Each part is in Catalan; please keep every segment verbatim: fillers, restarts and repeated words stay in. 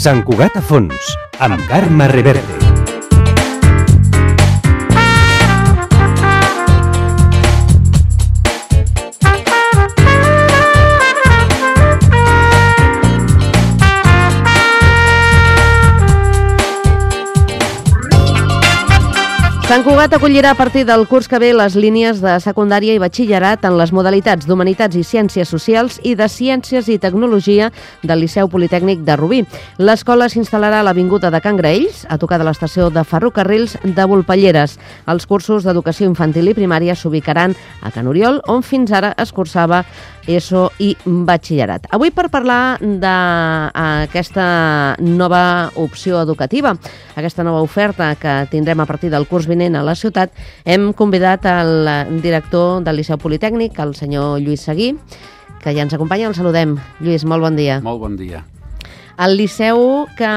Sant Cugat a fons, amb Carme Reverte. Sant Cugat acollirà a partir del curs que ve les línies de secundària i batxillerat en les modalitats d'Humanitats i Ciències Socials i de Ciències i Tecnologia del Liceu Politècnic de Rubí. L'escola s'instal·larà a l'Avinguda de Can Graells, a tocar de l'estació de ferrocarrils de Volpelleres. Els cursos d'educació infantil i primària s'ubicaran a Can Oriol, on fins ara es cursava ESO i batxillerat. Avui, per parlar d'aquesta nova opció educativa, aquesta nova oferta que tindrem a partir del curs vinent a la ciutat, hem convidat el director del Liceu Politècnic, el senyor Lluís Seguí, que ja ens acompanya. El saludem. Lluís, molt bon dia. Molt bon dia. El Liceu, que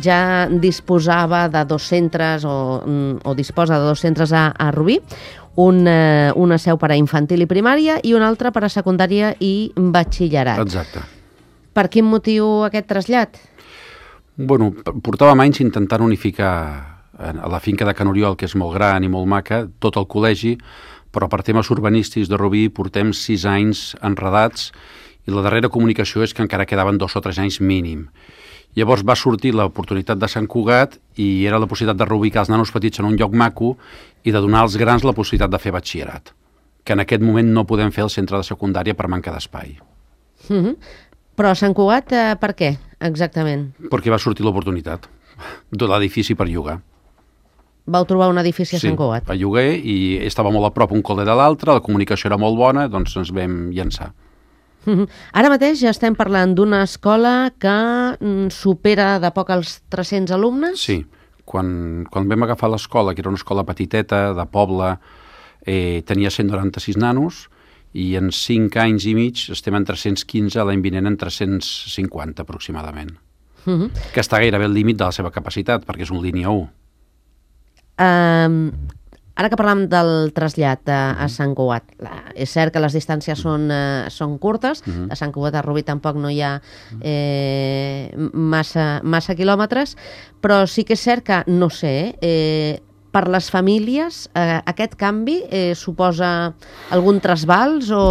ja disposava de dos centres o, o disposa de dos centres a, a Rubí, un, eh, una seu per a infantil i primària i una altra per a secundària i batxillerat. Exacte. Per quin motiu aquest trasllat? Bueno, portàvem anys intentant unificar a la finca de Can Oriol, que és molt gran i molt maca, tot el col·legi, però per temes urbanístics de Rubí portem sis anys enredats i la darrera comunicació és que encara quedaven dos o tres anys mínim. Llavors va sortir l'oportunitat de Sant Cugat i era la possibilitat de reubicar els nanos petits en un lloc maco i de donar als grans la possibilitat de fer batxillerat, que en aquest moment no podem fer al centre de secundària per manca d'espai. Mm-hmm. Però a Sant Cugat, eh, per què, exactament? Perquè va sortir l'oportunitat de l'edifici per llogar. Vau trobar un edifici a sí, Sant Cugat? Sí, a lloguer, i estava molt a prop un col·le de l'altre, la comunicació era molt bona, doncs ens vam llançar. Mm-hmm. Ara mateix ja estem parlant d'una escola que mm, supera de poc els tres-cents alumnes? Sí, quan, quan vam agafar l'escola, que era una escola petiteta, de poble, eh, tenia cent noranta-sis nanos, i en cinc anys i mig estem en tres-cents quinze, l'any vinent en tres-cents cinquanta aproximadament. Mm-hmm. Que està gairebé al límit de la seva capacitat, perquè és un línia u. Um, ara que parlam del trasllat a, a Sant Cugat, la, és cert que les distàncies són, uh, són curtes, uh-huh. A Sant Cugat a Rubí tampoc no hi ha eh, massa, massa quilòmetres, però sí que és cert que, no sé, eh, per les famílies eh, aquest canvi eh, suposa algun trasbals o...?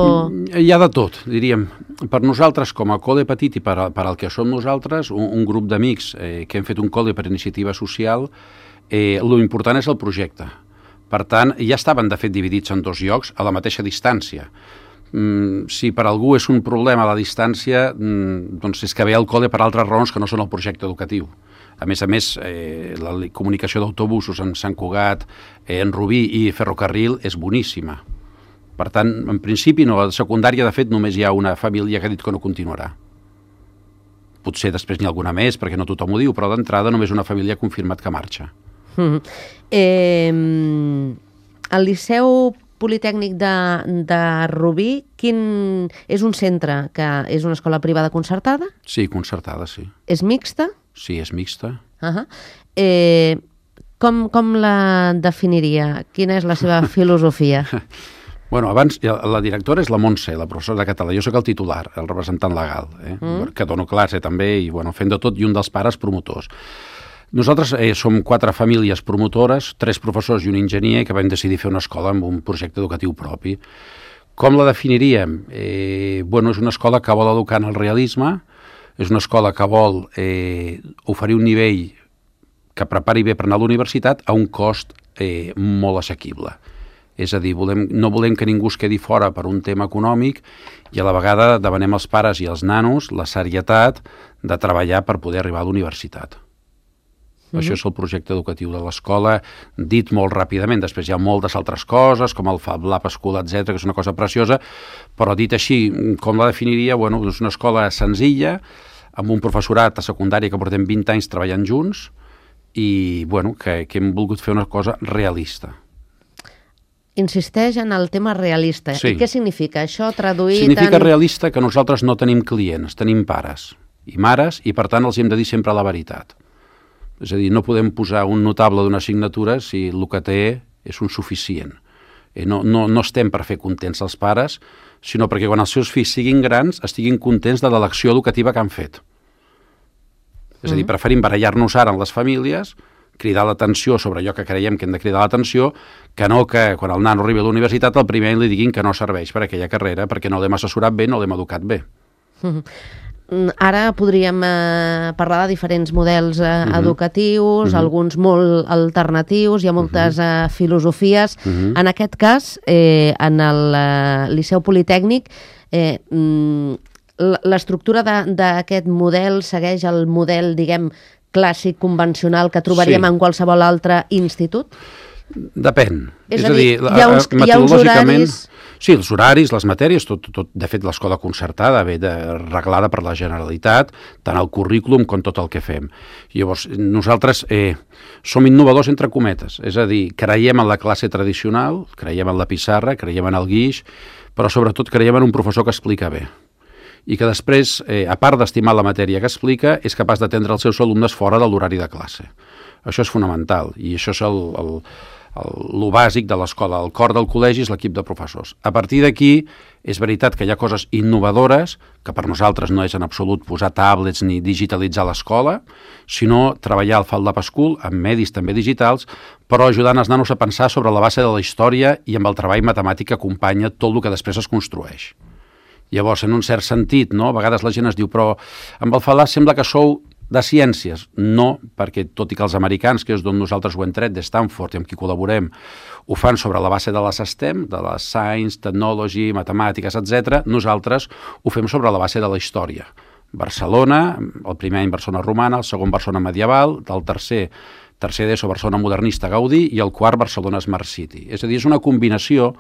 Hi ha de tot, diríem. Per nosaltres, com a col·le petit i per, a, per al que som nosaltres, un, un grup d'amics eh, que hem fet un col·le per iniciativa social, eh, l'important és el projecte. Per tant, ja estaven, de fet, dividits en dos llocs a la mateixa distància. Mm, si per algú és un problema la distància, mm, doncs és que ve al col·le per altres raons que no són el projecte educatiu. A més a més, eh, la comunicació d'autobusos en Sant Cugat, eh, en Rubí i ferrocarril és boníssima. Per tant, en principi, no, a la secundària, de fet, només hi ha una família que ha dit que no continuarà. Potser després n'hi ha alguna més, perquè no tothom ho diu, però d'entrada només una família ha confirmat que marxa. Mm. Eh, el Liceu Politècnic de, de Rubí, quin, és un centre que és una escola privada concertada? Sí, concertada, sí. És mixta? Sí, és mixta. Uh-huh. Eh, com, com la definiria? Quina és la seva filosofia? Bueno, abans, la directora és la Montse, la professora de català. Jo sóc el titular, el representant legal, eh? mm. que dono classe també, i bueno, fent de tot, i un dels pares promotors. Nosaltres eh, som quatre famílies promotores, tres professors i un enginyer, que vam decidir fer una escola amb un projecte educatiu propi. Com la definiríem? Eh, bueno, és una escola que vol educar en el realisme, és una escola que vol eh, oferir un nivell que prepari bé per anar a la universitat a un cost eh, molt assequible. És a dir, volem, no volem que ningú es quedi fora per un tema econòmic i a la vegada demanem als pares i als nanos la serietat de treballar per poder arribar a la universitat. Mm-hmm. Això és el projecte educatiu de l'escola, dit molt ràpidament. Després hi ha moltes altres coses, com el Fab Lab School, etcètera, que és una cosa preciosa, però dit així, com la definiria, bueno, és una escola senzilla, amb un professorat a secundària que portem vint anys treballant junts i bueno, que, que hem volgut fer una cosa realista. Insisteix en el tema realista. Sí. I què significa això traduït Significa en... realista que nosaltres no tenim clients, tenim pares i mares, i per tant els hem de dir sempre la veritat. És a dir, no podem posar un notable d'una assignatura si el que té és un suficient. Eh, no, no, no estem per fer contents els pares, sinó perquè quan els seus fills siguin grans estiguin contents de l'elecció educativa que han fet. És a dir, preferim barallar-nos ara en les famílies, cridar l'atenció sobre allò que creiem que hem de cridar l'atenció, que no que quan el nano arribi a la universitat el primer any li diguin que no serveix per aquella carrera, perquè no l'hem assessorat bé, no l'hem educat bé. Ara podríem eh, parlar de diferents models eh, uh-huh. educatius, uh-huh. alguns molt alternatius, hi ha moltes uh-huh. eh, filosofies. Uh-huh. En aquest cas, eh, en el eh, Liceu Politècnic, eh, l'estructura d'aquest model segueix el model, diguem, clàssic, convencional, que trobaríem sí. en qualsevol altre institut? Depèn. És, és a dir, a dir hi, ha uns, hi ha uns horaris... Sí, els horaris, les matèries, tot, tot de fet l'escola concertada ve de, reglada per la Generalitat, tant el currículum com tot el que fem. Llavors, nosaltres eh, som innovadors entre cometes, és a dir, creiem en la classe tradicional, creiem en la pissarra, creiem en el guix, però sobretot creiem en un professor que explica bé i que després, eh, a part d'estimar la matèria que explica, és capaç d'atendre els seus alumnes fora de l'horari de classe. Això és fonamental i això és el, el, el, el bàsic de l'escola. El cor del col·legi és l'equip de professors. A partir d'aquí, és veritat que hi ha coses innovadores, que per nosaltres no és en absolut posar tablets ni digitalitzar l'escola, sinó treballar al FabLab School amb medis també digitals, però ajudant els nanos a pensar sobre la base de la història i amb el treball matemàtic que acompanya tot el que després es construeix. Llavors, en un cert sentit, no? A vegades la gent es diu, però amb el FabLab sembla que sou de ciències. No, perquè tot i que els americans, que és d'on nosaltres ho hem tret, de Stanford i amb qui col·laborem, ho fan sobre la base de les STEM, de la Science, Technology, Matemàtiques, etcètera, nosaltres ho fem sobre la base de la història. Barcelona, el primer any Barcelona romana, el segon Barcelona medieval, el tercer tercer d'ESO Barcelona modernista Gaudí i el quart Barcelona Smart City. És a dir, és una combinació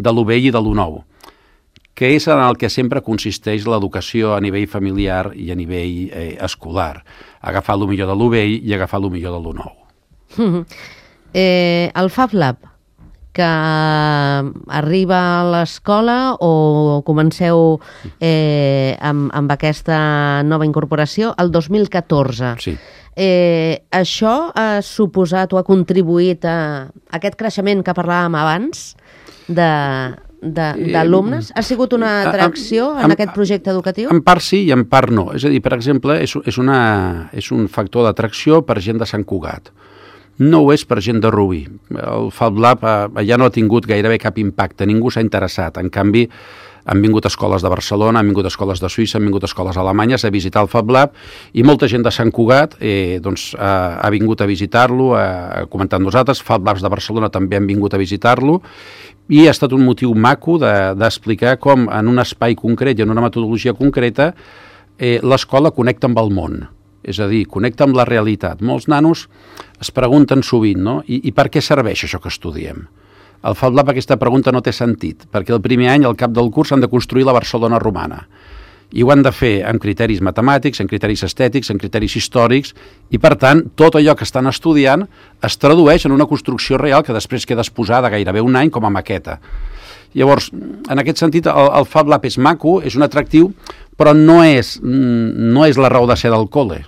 de lo vell i de lo nou, que és en el que sempre consisteix l'educació a nivell familiar i a nivell eh, escolar. Agafar el millor de lo vell i agafar el millor de lo nou. Mm-hmm. eh, el FabLab, que arriba a l'escola o comenceu eh, amb, amb aquesta nova incorporació el dos mil catorze. Sí. Eh, això ha suposat o ha contribuït a aquest creixement que parlàvem abans de... d'alumnes? Ha sigut una atracció en, en aquest projecte educatiu? En part sí i en part no. És a dir, per exemple, és, és, una, és un factor d'atracció per gent de Sant Cugat. No ho és per gent de Rubí. El FabLab ja no ha tingut gairebé cap impacte, ningú s'ha interessat. En canvi, han vingut escoles de Barcelona, han vingut escoles de Suïssa, han vingut escoles alemanyes a visitar el FabLab i molta gent de Sant Cugat eh, doncs, ha, ha vingut a visitar-lo, ha comentat amb nosaltres. FabLabs de Barcelona també han vingut a visitar-lo i ha estat un motiu maco d'explicar de, com en un espai concret i en una metodologia concreta eh, l'escola connecta amb el món. És a dir, connecta amb la realitat. Molts nanos es pregunten sovint, no? I, i per què serveix això que estudiem? Al FabLab aquesta pregunta no té sentit, perquè el primer any, al cap del curs, han de construir la Barcelona romana. I ho han de fer amb criteris matemàtics, amb criteris estètics, amb criteris històrics, i per tant, tot allò que estan estudiant es tradueix en una construcció real que després queda exposada gairebé un any com a maqueta. Llavors, en aquest sentit, el, el FabLab és maco, és un atractiu, però no és, no és la raó de ser del col·le.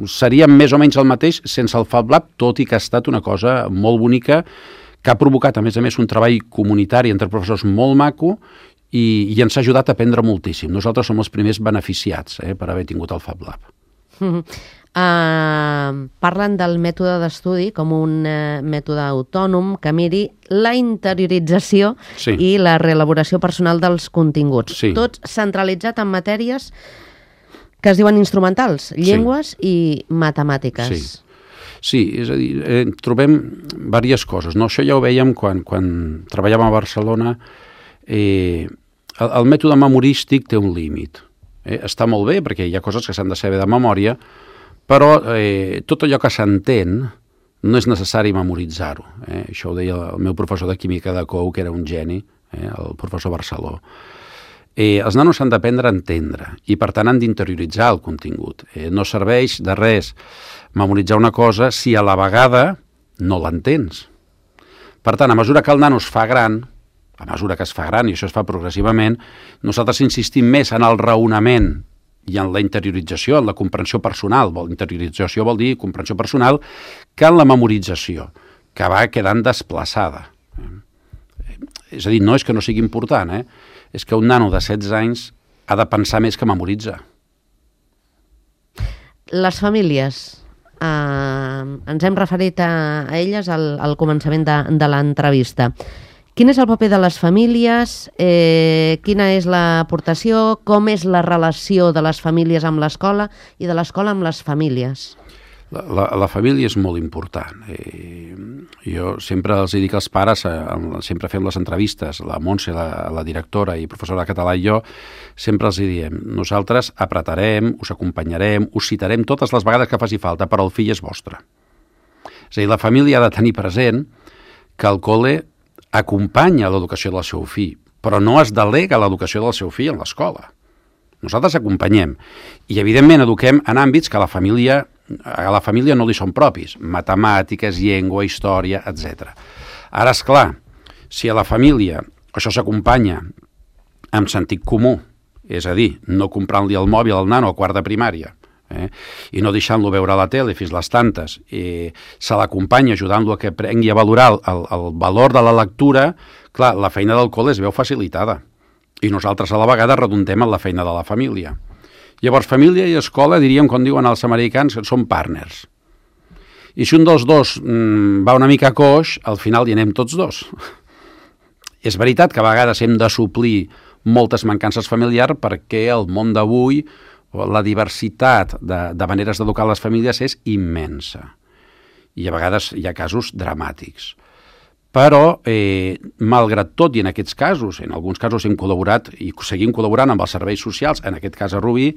Seria més o menys el mateix sense el FabLab, tot i que ha estat una cosa molt bonica, que ha provocat, a més a més, un treball comunitari entre professors molt maco i, i ens ha ajudat a aprendre moltíssim. Nosaltres som els primers beneficiats eh, per haver tingut el FabLab. Mm-hmm. uh, parlen del mètode d'estudi com un uh, mètode autònom que miri la interiorització sí. i la reelaboració personal dels continguts. Sí. Tot centralitzat en matèries que es diuen instrumentals, llengües sí. i matemàtiques. Sí. Sí, és a dir, eh, trobem diverses coses. No? Això ja ho vèiem quan, quan treballàvem a Barcelona. Eh, el, el mètode memorístic té un límit. Eh? Està molt bé perquè hi ha coses que s'han de saber de memòria, però eh, tot allò que s'entén no és necessari memoritzar-ho. Eh? Això ho deia el meu professor de química de Cou, que era un geni, eh? el professor Barceló. Eh, els nanos han d'aprendre a entendre i, per tant, han d'interioritzar el contingut. Eh, no serveix de res memoritzar una cosa si a la vegada no l'entens. Per tant, a mesura que el nano es fa gran, a mesura que es fa gran, i això es fa progressivament, nosaltres insistim més en el raonament i en la interiorització, en la comprensió personal. Interiorització vol dir comprensió personal, que en la memorització, que va quedant desplaçada. És a dir, no és que no sigui important, eh? És que un nano de setze anys ha de pensar més que memoritzar. Les famílies, eh, ens hem referit a, a elles al, al començament de, de l'entrevista. Quin és el paper de les famílies? Eh, quina és l'aportació? Com és la relació de les famílies amb l'escola i de l'escola amb les famílies? La, la, la família és molt important. Eh, jo sempre els dic als pares, eh, sempre fem les entrevistes, la Montse, la, la directora i professora de català i jo, sempre els diem, nosaltres apretarem, us acompanyarem, us citarem totes les vegades que faci falta, però el fill és vostre. És a dir, la família ha de tenir present que el col·le acompanya l'educació del seu fill, però no es delega l'educació del seu fill en l'escola. Nosaltres acompanyem i, evidentment, eduquem en àmbits que a la família, a la família no li són propis, matemàtiques, llengua, història, etcètera. Ara, és clar, si a la família això s'acompanya amb sentit comú, és a dir, no comprant-li el mòbil al nano a quart de primària, Eh? i no deixant-lo veure a la tele fins les tantes, i se l'acompanya ajudant-lo a que aprengui a valorar el, el valor de la lectura, clar, la feina del col·le es veu facilitada i nosaltres a la vegada redundem en la feina de la família. Llavors, família i escola, diríem, com diuen els americans, són partners. I si un dels dos mmm, va una mica coix, al final hi anem tots dos. És veritat que a vegades hem de suplir moltes mancances familiars perquè el món d'avui, la diversitat de, de maneres d'educar les famílies és immensa i a vegades hi ha casos dramàtics. Però, eh, malgrat tot, i en aquests casos, en alguns casos hem col·laborat i seguim col·laborant amb els serveis socials, en aquest cas a Rubí,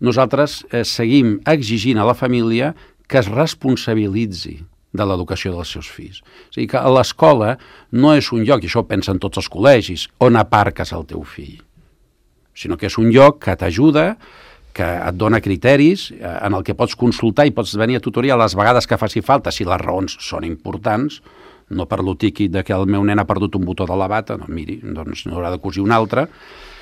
nosaltres eh, seguim exigint a la família que es responsabilitzi de l'educació dels seus fills. És a dir, que l'escola no és un lloc, i això ho pensen tots els col·legis, on aparques el teu fill, sinó que és un lloc que t'ajuda, que et dona criteris, en el que pots consultar i pots venir a tutoria les vegades que faci falta, si les raons són importants, no per lo tiqui de que el meu nen ha perdut un botó de la bata, no, miri, doncs n'haurà de cosir un altre,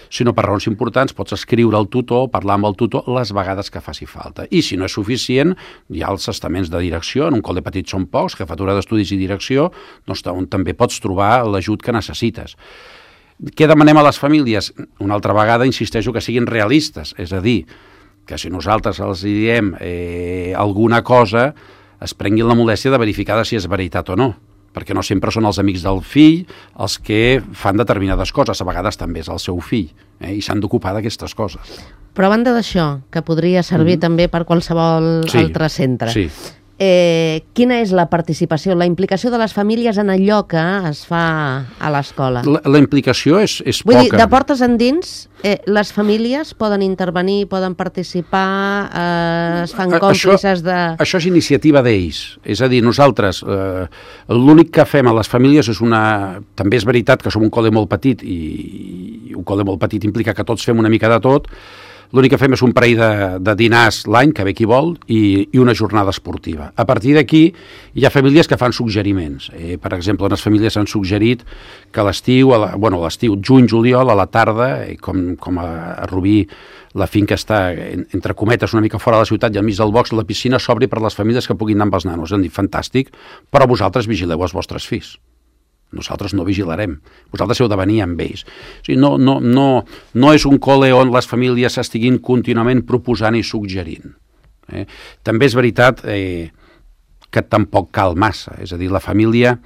sinó per raons importants pots escriure al tutor, parlar amb el tutor les vegades que faci falta. I si no és suficient, hi ha els estaments de direcció, en un col·le petit són pocs, jefatura d'estudis i direcció, doncs on també pots trobar l'ajut que necessites. Què demanem a les famílies? Una altra vegada insisteixo que siguin realistes, és a dir, que si nosaltres els diem eh, alguna cosa, es prenguin la molèstia de verificar si és veritat o no, perquè no sempre són els amics del fill els que fan determinades coses, a vegades també és el seu fill, eh, i s'han d'ocupar d'aquestes coses. Però a banda d'això, que podria servir mm-hmm. també per qualsevol sí, altre centre, sí. Eh, quina és la participació, la implicació de les famílies en allò que es fa a l'escola? La, la implicació és, és Vull poca. Vull dir, de portes endins, eh, les famílies poden intervenir, poden participar, eh, es fan còmplices això, de... Això és iniciativa d'ells. És a dir, nosaltres, eh, l'únic que fem a les famílies és una... També és veritat que som un col·le molt petit i, i un col·le molt petit implica que tots fem una mica de tot. L'únic que fem és un parell de, de dinars l'any, que ve qui vol, i, i una jornada esportiva. A partir d'aquí hi ha famílies que fan suggeriments. Eh, per exemple, unes famílies han suggerit que a l'estiu, a la, bueno, a l'estiu, juny, juliol, a la tarda, eh, com, com a, a Rubí, la finca està, en, entre cometes, una mica fora de la ciutat i al mig del box, la piscina s'obri per les famílies que puguin anar amb els nanos. Han dit, fantàstic, però vosaltres vigileu els vostres fills. Nosaltres no vigilarem. Vosaltres heu de venir amb ells. O sigui, no, no, no, no és un col·le on les famílies estiguin contínuament proposant i suggerint. Eh? També és veritat eh, que tampoc cal massa. És a dir, la família...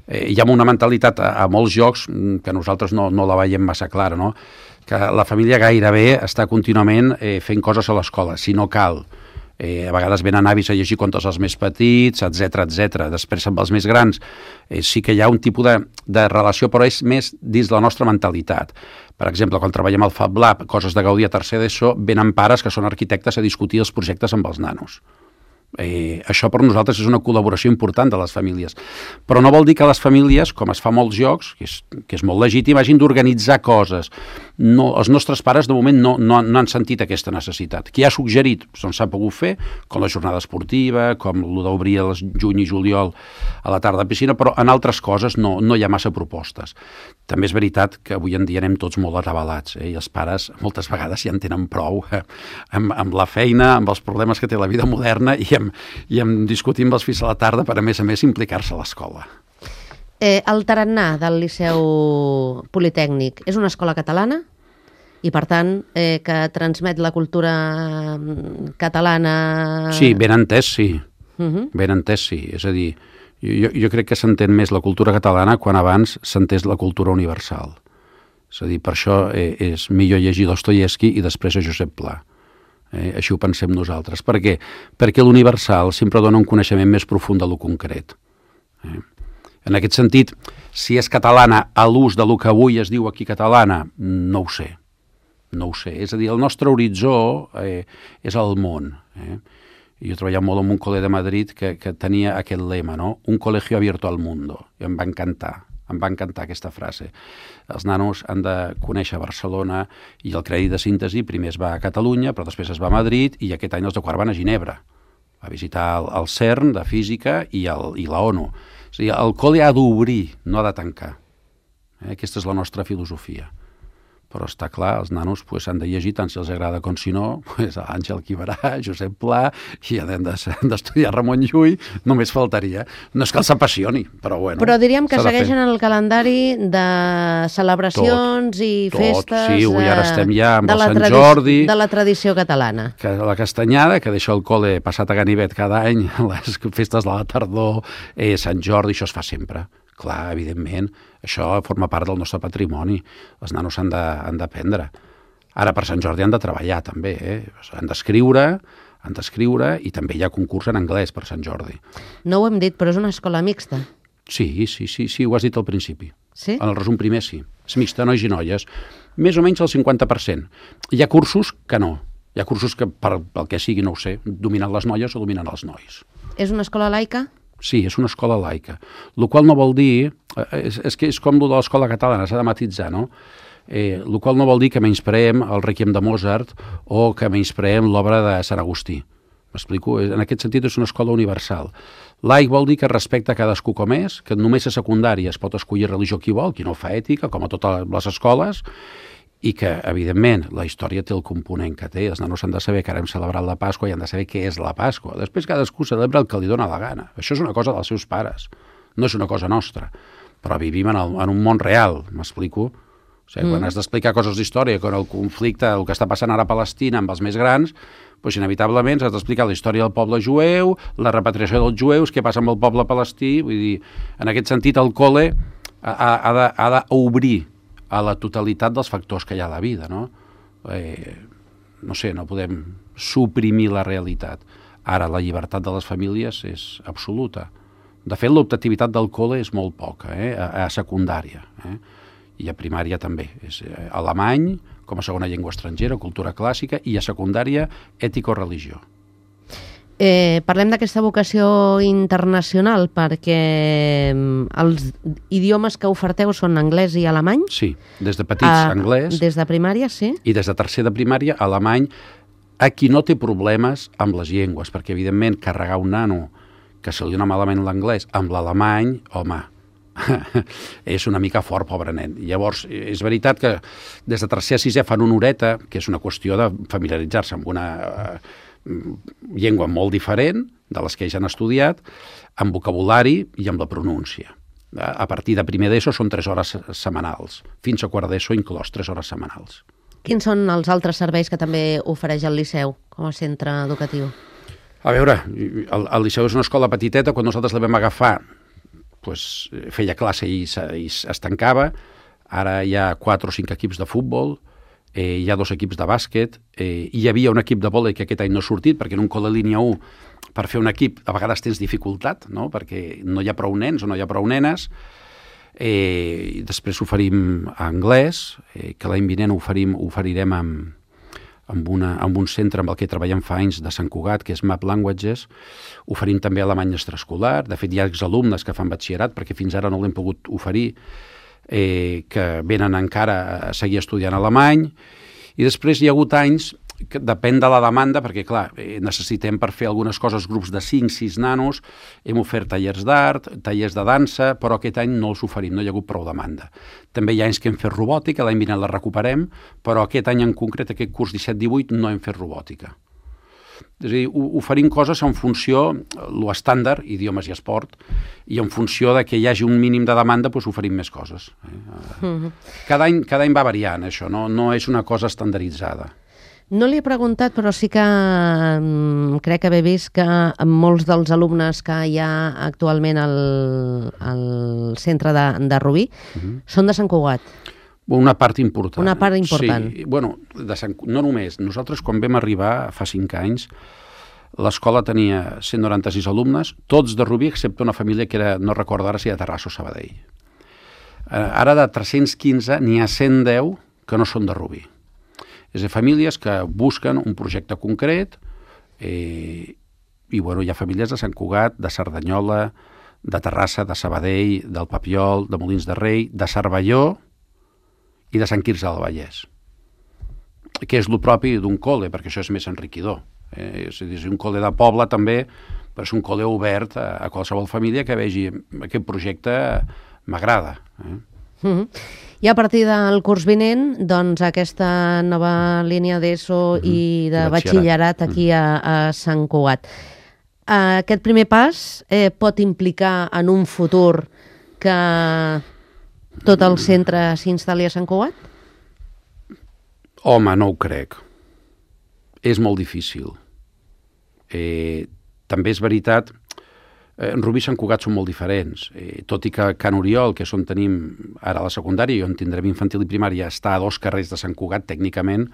Eh, hi ha una mentalitat a, a molts llocs que nosaltres no, no la veiem massa clara, no? Que la família gairebé està contínuament eh, fent coses a l'escola, si no cal. Eh, a vegades venen avis a llegir contes als més petits, etcètera, etcètera. Després amb els més grans eh, sí que hi ha un tipus de, de relació, però és més dins la nostra mentalitat. Per exemple, quan treballem al Fab Lab, coses de Gaudí a tercer d'ESO, venen pares que són arquitectes a discutir els projectes amb els nanos. Eh, això per nosaltres és una col·laboració important de les famílies. Però no vol dir que les famílies, com es fa a molts llocs, que és, que és molt legítim, hagin d'organitzar coses. No, els nostres pares de moment no, no, no han sentit aquesta necessitat. Qui ha suggerit? Doncs s'ha pogut fer, com la jornada esportiva, com el d'obrir el juny i juliol a la tarda a piscina, però en altres coses no, no hi ha massa propostes. També és veritat que avui en dia anem tots molt atabalats, eh? I els pares moltes vegades ja en tenen prou eh? amb, amb la feina, amb els problemes que té la vida moderna i amb, i amb discutir amb els fills a la tarda per, a més a més, implicar-se a l'escola. Eh, el tarannà del Liceu Politècnic és una escola catalana? i, per tant, eh, que transmet la cultura catalana... Sí, ben entès, sí. Uh -huh. Ben entès, sí. És a dir, jo, jo crec que s'entén més la cultura catalana quan abans s'entès la cultura universal. És a dir, per això eh, és millor llegir Dostoievski i després a Josep Pla. Eh, així ho pensem nosaltres. Per què? Perquè l'universal sempre dona un coneixement més profund de lo concret. Eh? En aquest sentit, si és catalana a l'ús de lo que avui es diu aquí catalana, no ho sé. No ho sé. És a dir, el nostre horitzó eh, és el món. Eh? Jo he treballat molt en un col·le de Madrid que, que tenia aquest lema, no? Un colegio abierto al mundo. I em va encantar. Em va encantar aquesta frase. Els nanos han de conèixer Barcelona i el crèdit de síntesi primer es va a Catalunya, però després es va a Madrid i aquest any els de quart van a Ginebra a visitar el, el CERN de Física i, el, i la ONU. És a dir, el col·le ha d'obrir, no ha de tancar. Eh? Aquesta és la nostra filosofia. Però està clar, els nanos pues, han de llegir tant si els agrada com si no, pues, Àngel Quiberà, Josep Pla, i han d'estudiar Ramon Llull, només faltaria. No és que els apassioni, però bueno. Però diríem que segueixen el calendari de celebracions tot, i festes... Tot, sí, avui ara estem ja amb el Sant Jordi... De la tradició catalana. Que la castanyada, que deixa el col·le passat a ganivet cada any, les festes de la tardor, eh, Sant Jordi, això es fa sempre. Clar, evidentment, això forma part del nostre patrimoni. Els nanos han d'aprendre. Ara, per Sant Jordi han de treballar, també. Eh? Han d'escriure, han d'escriure, i també hi ha concurs en anglès per Sant Jordi. No ho hem dit, però és una escola mixta. Sí, sí, sí, sí, ho has dit al principi. Sí? En el resum primer, sí. És mixta, nois i noies. Més o menys el cinquanta per cent. Hi ha cursos que no. Hi ha cursos que, per, pel que sigui, no ho sé, dominen les noies o dominen els nois. És una escola laica? Sí, és una escola laica. El qual no vol dir... És, és que és com el de l'escola catalana, s'ha de matitzar, no? Eh, el qual no vol dir que menyspreem el Requiem de Mozart o que menyspreem l'obra de Sant Agustí. M'explico? En aquest sentit és una escola universal. Laic vol dir que respecta cadascú com és, que només a secundària es pot escollir religió qui vol, qui no fa ètica, com a totes les escoles, i que, evidentment, la història té el component que té. Els nanos han de saber que ara hem celebrat la Pasqua i han de saber què és la Pasqua. Després cadascú celebra el que li dóna la gana. Això és una cosa dels seus pares, no és una cosa nostra. Però vivim en, el, en un món real, m'explico? O sigui, mm. quan has d'explicar coses d'història, quan el conflicte, el que està passant ara a Palestina amb els més grans, doncs inevitablement has d'explicar la història del poble jueu, la repatriació dels jueus, què passa amb el poble palestí. Vull dir, en aquest sentit, el col·le ha d'obrir a la totalitat dels factors que hi ha a la vida, no? Eh, no sé, no podem suprimir la realitat. Ara, la llibertat de les famílies és absoluta. De fet, l'optativitat del col·le és molt poca, eh? a, a secundària, eh? I a primària també. És eh, alemany, com a segona llengua estrangera, cultura clàssica, i a secundària, ètico-religió. Eh, parlem d'aquesta vocació internacional perquè els idiomes que oferteu són anglès i alemany? Sí, des de petits ah, anglès. Des de primària, sí. I des de tercer de primària, alemany, a qui no té problemes amb les llengües, perquè evidentment carregar un nano que se li dona malament l'anglès amb l'alemany, home, és una mica fort, pobre nen. Llavors, és veritat que des de tercer a sisè fan una horeta, que és una qüestió de familiaritzar-se amb una eh, llengua molt diferent de les que ja han estudiat, amb vocabulari i amb la pronúncia. A partir de primer d'ESO són tres hores setmanals, fins a quart d'ESO inclòs tres hores setmanals. Quins són els altres serveis que també ofereix el Liceu com a centre educatiu? A veure, el, el Liceu és una escola petiteta. Quan nosaltres la vam agafar, pues, feia classe i, i es tancava. Ara hi ha quatre o cinc equips de futbol, eh, hi ha dos equips de bàsquet, eh, hi havia un equip de vòlei que aquest any no ha sortit, perquè en un col·le línia u, per fer un equip, a vegades tens dificultat, no? Perquè no hi ha prou nens o no hi ha prou nenes. Eh, després oferim anglès, eh, que l'any vinent oferim, oferirem amb, amb, una, amb un centre amb el que treballem fa anys de Sant Cugat, que és Map Languages. Oferim també alemany extraescolar. De fet, hi ha exalumnes que fan batxillerat, perquè fins ara no l'hem pogut oferir, eh, que venen encara a seguir estudiant alemany. I després hi ha hagut anys que depèn de la demanda, perquè, clar, eh, necessitem per fer algunes coses grups de cinc sis nanos, hem ofert tallers d'art, tallers de dansa, però aquest any no els oferim, no hi ha hagut prou demanda. També hi ha anys que hem fet robòtica, l'any vinent la recuperem, però aquest any en concret, aquest curs disset divuit, no hem fet robòtica. És a dir, oferim coses en funció, lo estàndard, idiomes i esport, i en funció de que hi hagi un mínim de demanda, doncs oferim més coses. Cada any, cada any va variant, això, no, no és una cosa estandarditzada. No li he preguntat, però sí que mm, crec haver vist que molts dels alumnes que hi ha actualment al, al centre de, de Rubí uh-huh. són de Sant Cugat. Una part important. Una part important. Sí, bueno, de Sant, no només. Nosaltres, quan vam arribar, fa cinc anys, l'escola tenia cent noranta-sis alumnes, tots de Rubí, excepte una família que era, no recordo ara si de Terrassa o Sabadell. Ara de tres-cents quinze n'hi ha cent deu que no són de Rubí. És a dir, famílies que busquen un projecte concret eh, i bueno, hi ha famílies de Sant Cugat, de Cerdanyola, de Terrassa, de Sabadell, del Papiol, de Molins de Rei, de Cervelló i de Sant Quirze del Vallès, que és el propi d'un col·le, perquè això és més enriquidor. Eh? És a dir, un col·le de poble també, però és un col·le obert a, a qualsevol família que vegi aquest projecte m'agrada. Eh? Mm-hmm. I a partir del curs vinent, doncs, aquesta nova línia d'ESO mm-hmm. i de batxillerat aquí a, a Sant Cugat. Aquest primer pas eh, pot implicar en un futur que tot el centre s'instal·li a Sant Cugat? Home, no ho crec. És molt difícil. Eh, també és veritat, eh, Rubí i Sant Cugat són molt diferents. Eh, tot i que Can Oriol, que és on tenim ara la secundària i on tindrem infantil i primària, està a dos carrers de Sant Cugat, tècnicament,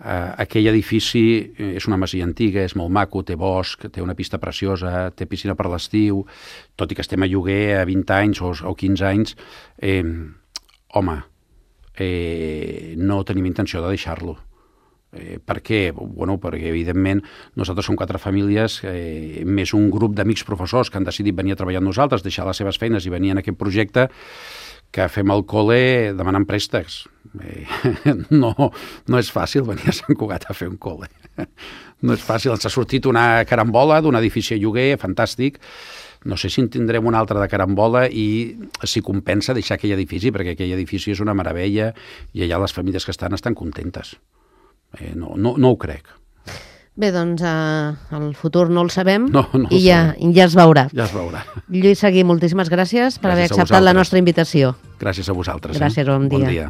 eh, aquell edifici és una masia antiga, és molt maco, té bosc, té una pista preciosa, té piscina per l'estiu, tot i que estem a lloguer a vint anys o, o quinze anys, eh, home, eh, no tenim intenció de deixar-lo. Eh, per què? Bueno, perquè evidentment nosaltres som quatre famílies, eh, més un grup d'amics professors que han decidit venir a treballar amb nosaltres, deixar les seves feines i venir en aquest projecte, que fem el col·le demanant préstecs. Eh, no, no és fàcil venir a Sant Cugat a fer un col·le. No és fàcil. Ens ha sortit una carambola d'un edifici a lloguer, fantàstic. No sé si en tindrem una altra de carambola i si compensa deixar aquell edifici, perquè aquell edifici és una meravella i allà les famílies que estan estan contentes. Eh, no, no, no ho crec. Bé, doncs eh, el futur no el sabem no, no i ja, ja es veurà. Ja es veurà. Lluís Seguí, moltíssimes gràcies per gràcies haver acceptat la nostra invitació. Gràcies a vosaltres. Gràcies, eh? bon dia. Bon dia.